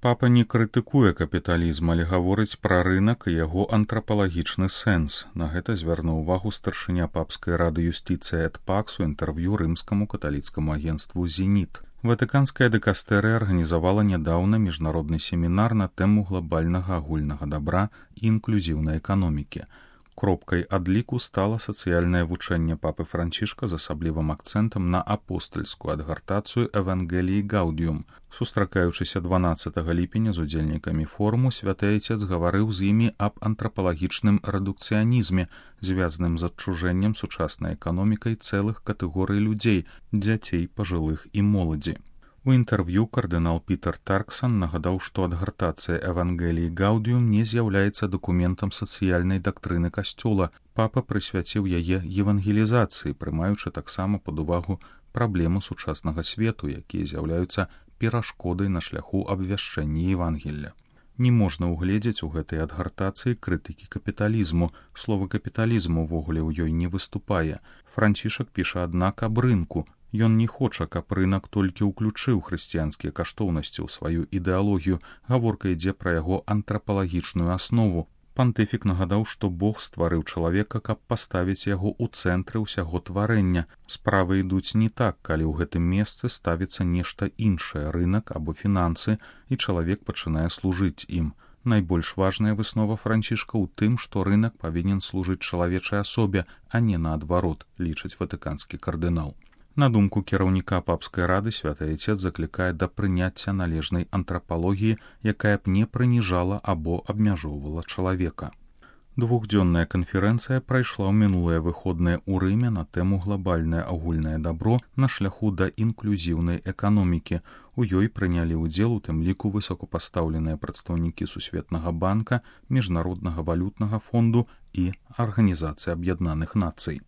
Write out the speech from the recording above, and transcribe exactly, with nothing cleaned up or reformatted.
Папа не крытыкуе капіталізм, але гаворыць пра рынак і яго антрапалагічны сэнс. На гэта звярнуў увагу старшыня папскай рады юстыцыі эт пакс у інтэрв'ю рымскаму каталіцкаму агенству «Зеніт». Ватыканская дэкастэрыя арганізавала нядаўна міжнародны семінар на тэму глобальнага агульнага дабра і інклюзіўнай эканомікі. Кропкай адліку стала сацыяльнае вучэнне папы Францішка з асаблівым акцэнтам на апостальскую адгартацыю Евангеліі Гаудіум. Сустракаючыся дванаццатага ліпеня з удзельнікамі форуму, святы айцец гаварыў з імі аб антрапалагічным рэдукцыянізме, звязаным з адчужэннем сучаснай эканомікай цэлых катэгорый людзей, дзяцей, пажылых і моладзі. У інтэрв'ю кардынал Пітер Тарксан нагадаў, што адгартацыя Евангеліі Гаудіум не з'яўляецца дакументам сацыяльнай дактрыны касцёла. Папа прысвяціў яе евангелізацыі, прымаючы таксама пад увагу праблему сучаснага свету, якія з'яўляюцца перашкодай на шляху абвяшчэння Евангелля. Не можна угледзець у гэтай адгартацыі крытыкі капіталізму. Слова капіталізм увогуле ў ёй не выступае. Францішак піша, аднак, аб рынку. Ён не хоча, каб рынак толькі ўключыў хрысціянскія каштоўнасці ў сваю ідэалогію, гаворка ідзе пра яго антрапалагічную аснову. Пантыфік нагадаў, што Бог стварыў чалавека, каб паставіць яго ў цэнтры ўсяго тварэння. Справы ідуць не так, калі ў гэтым месцы ставіцца нешта іншае, рынак або фінансы, і чалавек пачынае служыць ім. Найбольш важная выснова Францішка ў тым, што рынак павінен служыць чалавечай асобе, а не наадварот, лічыць ватыканскі кардынал. На думку кіраўніка папскай рады, святы айцец заклікае да прыняцця належнай антрапалогіі, якая б не прыніжала або абмяжоўвала чалавека. Двухдзённая канферэнцыя прайшла ў мінулыя выходныя ў Рыме на тэму глобальнае агульнае дабро на шляху да інклюзіўнай эканомікі. У ёй прынялі ўдзел у тым ліку высокапастаўленыя прадстаўнікі Сусветнага банка, Міжнароднага валютнага фонду і Арганізацыі Аб'яднаных Нацый.